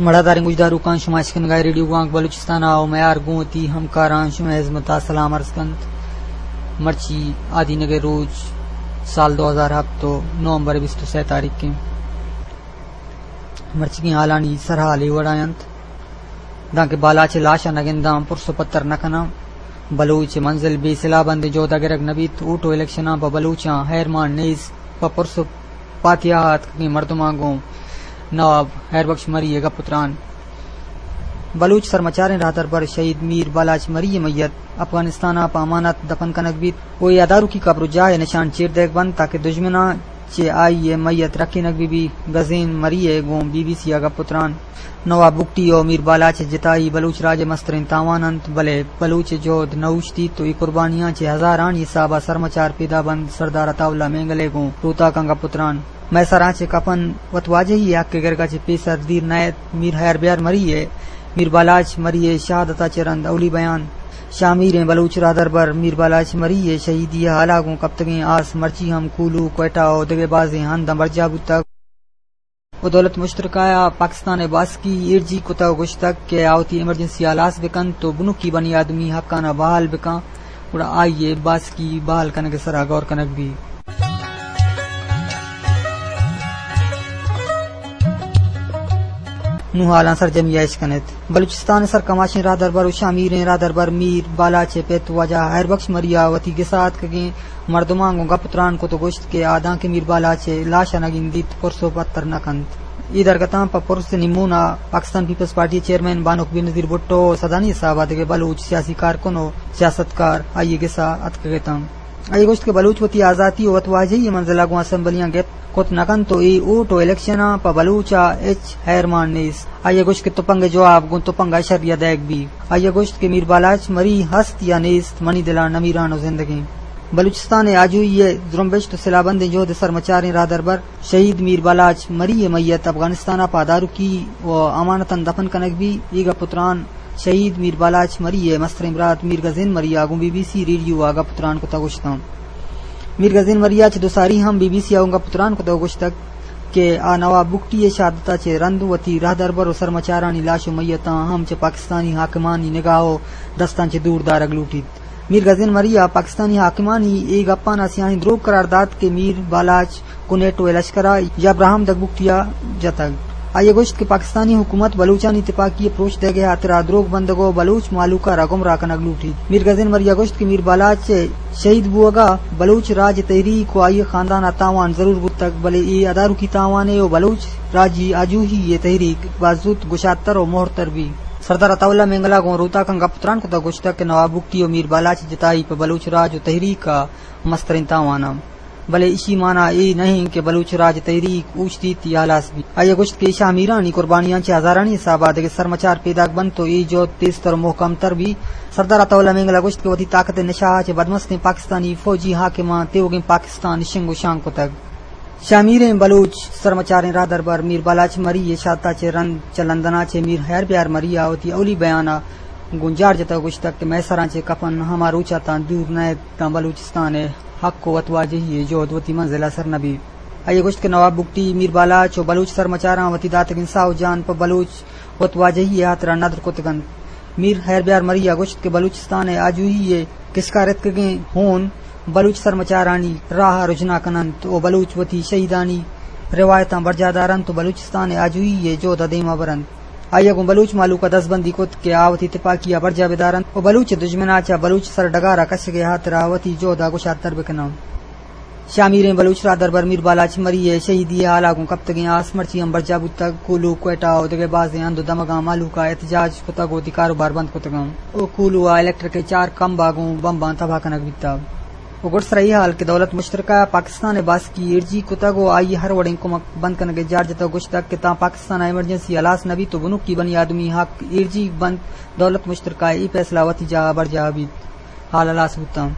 مڑاداریں گوشداروکاں، شما اشکنگا ریڈیو گوانک بلوچستان ءَ، میار گوں وتی ہمکاراں شمئے ہزمت ءَ سلام عرض کنت۔ مرچی آدینگ ءِ روچ، سال دو ہزار ہپت ءُ نومبر ءِ بیست ءُ سئے تاریخ ایں۔ مرچیگیں حالانی سرحال اے وڑا انت، دانکہ بالاچ ءِ لاش ءَ نہ گنداں، پرس ءُ پتر نہ کناں، بلوچ ءِ منزل بے سلاہ بندیں جہد ءَ گرگ نہ بیت، ووٹ ءُ الیکشناں پہ بلوچاں ہیرمان نیست، پہ پرس ءُ پاتیاہ ءَ اتکگیں مردماں گوں نواب ہیر بخش مری ءِ گپ ءُ تران۔ بلوچ سرمچاریں راہدربر شہید میر بالاچ مری ءِ میت افغانستان ءَ پہ امانت دفن کنگ بیت ءُ اے اداروکی قبر ءُ جاہ ءِ نشان چیر دئیگ بنت، تاکہ دژمناں چہ آئی ءِ میت رکینگ بہ بیت۔ گزین مری ءِ گوں بی بی سی ءَ گپ ءُ تران۔ نواب بگٹی ءُ میر بالاچ ءِ جتائی بلوچ راج ءِ مستریں تاوان انت، بلے بلوچ ءِ جہد نہ اوشتیت ءُ اے قربانیاں چہ ہزارانی حساب ءَ سرمچار پیدا بنت۔ سردار عطا اللہ مینگل ءِ گوں روتاکاں گپ ءُ تران۔ مئے سراں چہ کفن وت واجہی ءِ حق ءِ گرگ ءَ چہ پیسر دیر نہ ات۔ میر ہیر بیار مری ءِ، میر بالاچ مری ءِ شہادت ءَ چہ رند اولی بیان۔ شامیریں بلوچ راہدربر میر بالاچ مری ءِ شہیدی ءِ حال ءَ گوں کپتگیں آس مرچی ہم کولو، کوئٹہ ءُ دگہ بازیں ہنداں برجاہ بوتگ۔ ءُ دولت مشترکہ ءَ پاکستان ءِ باسکی ایرجیگ کتگ ءُ گوشتگ کہ آ وتی ایمرجنسی ہلاس بہ کنت ءُ بنکی بنی آدمی حقاں ءَ بحال بہ کنت، گڑا آئی ءِ باسکی بحال کنگ ءِ سرا غور کنگ بیت۔ نوں حالاں سرجمی ءَ اش کنت۔ بلوچستان ءِ سرکماشیں راہدربر ءُ شامیریں راہدربر میر بالاچ ءِ پت واجہ ہیر بخش مری ءَ وتی گس ءَ اتکگیں مردماں گوں گپ ءُ تران کت ءُ گوشت کہ آ دانکہ میر بالاچ ءِ لاش ءَ نہ گندیت، پرس ءُ پتر نہ کنت۔ اے درگتاں پہ پرس ءِ نیمون ءَ پاکستان پیپلز پارٹی ءِ چیئرمین بانک بینظیر بھٹو ءُ سدانی حساب ءَ دگہ بلوچ سیاسی کارکن ءُ سیاستکار آئی ءِ گس ءَ اتکگ اتاں۔ آئی ءَ گوشت کہ بلوچ وتی آزاتی ءُ وت واجہی ءِ منزل ءَ گوں اسمبلیاں گپت کت نہ کنت ءُ اے ووٹ ءُ الیکشناں پہ بلوچ ءَ ہچ ہیرمان نیست۔ آئی ءَ گوشت کہ تپنگ ءِ جواب گوں تپنگ ءَ شری ءَ دئیگ بیت۔ آئی ءَ گوشت کہ میر بالاچ مری ہست یا نیست، منی دل ءَ نمیران ءُ زندگیں۔ بلوچستان ءِ آجوئی ءِ زرمبشت ءُ سلاہ بندیں جہد ءِ سرمچاریں راہدربر شہید میر بالاچ مری ءِ میت افغانستان ءَ پہ اداروکی ءُ امانتاں دفن کنگ بیت۔ اے گپ ءُ تران شہید میر بالاچ مری ءِ مستریں برات میر گزین مری ءَ گوں بی بی سی ریڈیو ءَ گپ ءُ تران کت ءُ گوشتاں۔ میر گزین مری ءَ چہ دو ساری ہم بی بی سی ءَ گوں گپ ءُ تران کت ءُ گوشتگ کہ آ نواب بگٹی ءِ شہادت ءَ چہ رند وتی راہدربر ءُ سرمچارانی لاش ءُ میتاں ہم چہ پاکستانی حاکمانی نگاہ ءُ دستاں چہ دور دارگ لوٹیت۔ میر گزین مری ءَ پاکستانی حاکمانی اے گپاں ءَ سیاہیں دروگ قرار دات کہ میر بالاچ گوں نیٹو ءِ لشکر ءَ یا براہمدگ بگٹی ءَ جتگ۔ آئی ءَ گوشت کہ پاکستانی حکومت بلوچانی تپاکی ءِ پروش دئیگ ءِ ہاترا دروگ بندگ ءُ بلوچ مہلوک ءَ را گمراہ کنگ لوٹیت۔ میر گزین مری ءَ گوشت کہ میر بالاچ ءِ شہید بوگ ءَ بلوچ راج ءِ تحریک ءُ آئی ءِ خاندان ءَ تاوان ضرور بوتگ، بلے اے اداروکی تاوانے ءُ بلوچ راجی آجوئی ءِ تحریک باز زوت گشادتر ءُ مہرتر بیت۔ سردار عطا اللہ مینگل ءَ گوں روتاکاں گپ ءُ تران کت ءُ گوشتگ کہ نواب بگٹی ءُ میر بالاچ ءِ جتائی پہ بلوچ راج ءُ تحریک ءَ مستریں تاوان انت، بلے ایشی مانا اے نہ انت کہ بلوچ راج تحریک اوشتیت یا ہلاس بیت۔ آئی ءَ گوشت کہ ایشاں امیرانی قربانیاں چہ ہزارانی حساب ءَ دگہ سرمچار پیداک بنت ءُ اے جہد تیزتر ءُ مہکم تر بیت۔ سردار عطا اللہ مینگل ءَ گوشت کہ وتی طاقت ءِ نشہ ءَ چہ بدمستیں پاکستانی فوجی حاکماں تیوگیں پاکستان شنگ ءُ شانگ کتگ۔ شامیریں بلوچ سرمچاریں راہدربر میر بالاچ مری ءِ شہادت ءَ چہ رند چہ لندن ءَ چہ میر ہیر بیار مری ءَ وتی اولی بیان ءَ گوں جار جتگ ءُ گوشتگ کہ مئے سراں چہ کفن ہما روچ ءَ تاں دور نہ ات تاں بلوچستان ءِ حق ءُ وتواجہی ءِ جہد وتی منزل ءَ سر نہ بیت۔ آئی ءَ گوشت کہ نواب بگٹی، میر بالاچ ءُ بلوچ سرمچاراں وتی داتگیں ساہ ءُ جان پہ بلوچ وتواجہی ءِ ہاترا ندر کتگ انت۔ میر ہیر بیار مری ءَ گوشت کہ بلوچستان ءِ آجوئی ءِ کشکار اتکگیں ہون بلوچ سرمچارانی راہ ءَ رژنا کن انت ءُ بلوچ وتی شہیدانی روایتاں برجاہ دار انت ءُ بلوچستان ءِ آجوئی ءِ جہد ءَ دیما بر انت۔ آئی ءَ گوں بلوچ مہلوک ءَ دزبندی کت کہ آ وتی تپاکی ءَ برجاہ بدار انت ءُ بلوچ ءِ دژمن ءَ چہ بلوچ سر ڈگار ءَ کشگ ءِ ہاترا وتی جہد ءَ گشادتر بکناں۔ شامیریں بلوچ راہدربر میر بالاچ مری ءِ شہیدی ءِ ہال ءَ گوں کپتگیں آس مرچی ہم برجاہ بوتگ۔ کولو، کوئٹہ ءُ دگہ بازیں ہند ءُ دمگاں مہلوک ءَ احتجاج کتگ ءُ وتی کاروبار بند کتگ انت ءُ کولو ءَ الیکٹرک ءِ چار کمب ءَ گوں بمباں تباہ کنگ بیتگ۔ ءُ گڈسر ءَ اے ہال کہ دولت مشترکہ ءَ پاکستان ءِ باسکی ایرجیگ کتگ ءُ آئی ءَ ہر وڑیں کمک بند کنگ ءِ جار جتگ ءُ گوشتگ کہ تاں پاکستان ءَ ایمرجنسی ہلاس نہ بیت ءُ بنکی بنی آدمی حق ایرجیگ بنت، دولت مشترکہ ءِ اے پیسلہ وتی جاہ ءَ برجاہ بیت۔ ہال ہلاس بوتاں۔